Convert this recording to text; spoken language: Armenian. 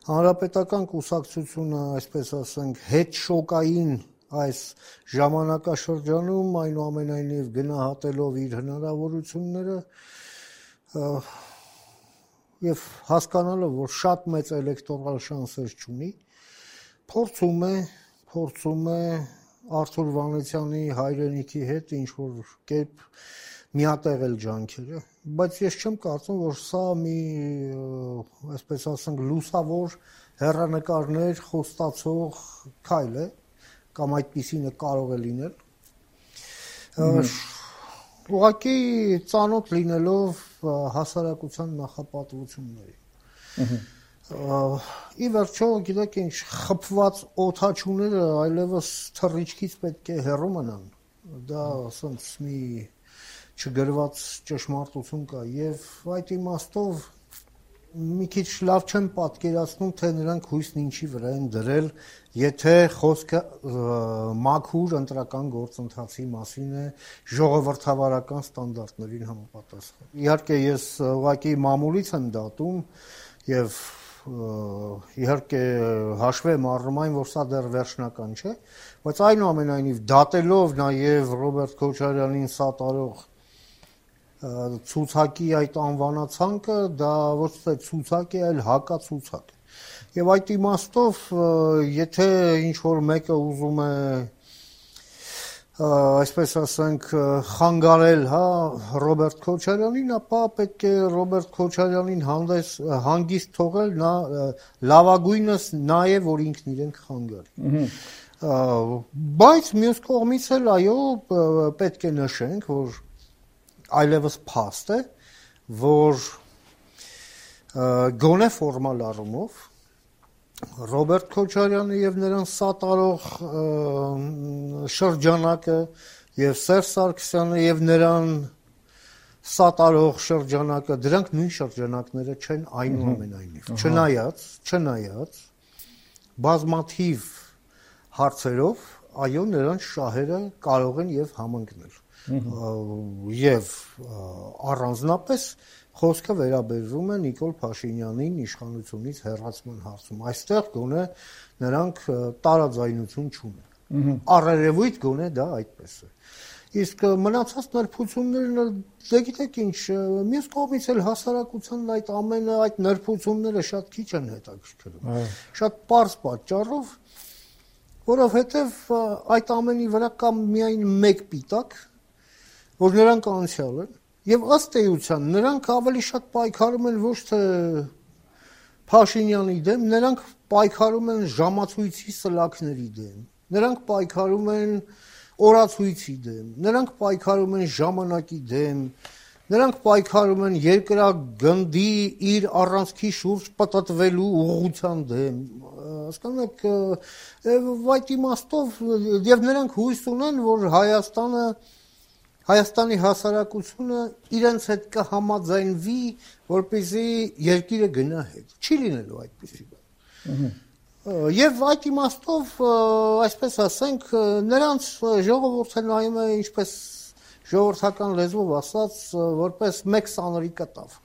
Հանրապետական կուսակցությունը, այսպես ասենք, հետ շոկային այս ժամանակաշրջանում այնուամենայնիվ գնահատելով իր հնարավորությունները եւ հասկանալով, որ շատ մեծ էլեկտորալ շանսեր չունի, փորձում է Արթուր Վանեցյանի հայրենիքի հետ ինչ-որ կերպ միատեղել ջանքերը, բայց ես չեմ կարծում, որ սա մի, այսպես ասենք, լուսավոր հեռանկարներ խոստացող քայլ է, կամ այդպիսինը կարող է լինել։ Ուղղակի ծանոթ լինելով հասարակության նախապատվություններին։ Ի վերջո, գիտեք ինչ, խփված օդաչուները այլևս թռիչքից պետք է հեռու մնան։ Դա ասենց մի չգրված ճշմարտություն կա եւ այդ իմաստով մի քիչ լավ չեմ պատկերացնում, թե նրանք հույսն ինչի վրա են դրել, եթե խոսքը մաքուր ընտրական գործընթացի մասին է, ժողովրդավարական ստանդարտներին համապատասխան։ Իհարկե ես ուղղակի մամուլից եմ դատում եւ իհարկե հաշվի եմ առնում այն, որ սա դեռ վերջնական չէ, բայց այնուամենայնիվ դատելով նաեւ Ռոբերտ Քոչարյանին սատարող ցուցակի այդ անվանացանկը դա ոչ թե ցուցակ է, այլ հակացուցակ։ Եվ այդ իմաստով, եթե ինչ-որ մեկը ուզում է, այսպես ասենք, խանգարել, Ռոբերտ Քոչարյանին, ապա պետք է Ռոբերտ Քոչարյանին հանգիստ թողել, նա լավագույնս նա է, որ ինքն իրեն կխանգարի։ Բայց մյուս կողմից էլ այո, պետք է նշենք, որ այլևս փաստ է, որ գոնե ֆորմալ առումով Ռոբերտ Քոչարյանը եւ նրան սատարող շրջանակը եւ Սերժ Սարգսյանը եւ նրան սատարող շրջանակը դրանք նույն շրջանակները չեն այնուամենայնիվ չնայած բազմաթիվ հարցերով այո նրանց շահերը կարող են եւ համընկնել եւ առանձնապես խոսքը վերաբերվում է Նիկոլ Փաշինյանին իշխանությունից հեռացման հարցում։ Այստեղ գոնե նրանք տարաձայնություն չունեն։ Առերևույթ գոնե դա այդպես է։ Իսկ մնացած նրբություններն դե գիտեք ինչ, մյուս կողմից էլ հասարակության այդ նրբությունները շատ քիչ են հետաքրքրում։ Շատ պարզ պատճառով, որովհետև այդ ամենի վրա կա միայն մեկ պիտակ, որ նրանք անցյալ են, եւ ըստ էության նրանք ավելի շատ պայքարում են ոչ թե Փաշինյանի դեմ, նրանք պայքարում են ժամացույցի սլաքների դեմ, նրանք պայքարում են օրացույցի դեմ, նրանք պայքարում են ժամանակի դեմ, նրանք պայքարում են երկրագնդի իր առանցքի շուրջ պտտվելու ուղղության դեմ, հասկանում եք, այդ իմաստով եւ նրանք հույս ունեն, որ Հայաստանի հասարակությունը իրենց հետ կհամաձայնվի, որպեսզի երկիրը գնա հետ։ Չի լինելու այդպիսի բան։ Եվ այդ իմաստով, այսպես ասենք, նրանց ժողովուրդը նայում է, ինչպես ժողովրդական լեզվով ասած, որպես մեկ սանրի կտավ։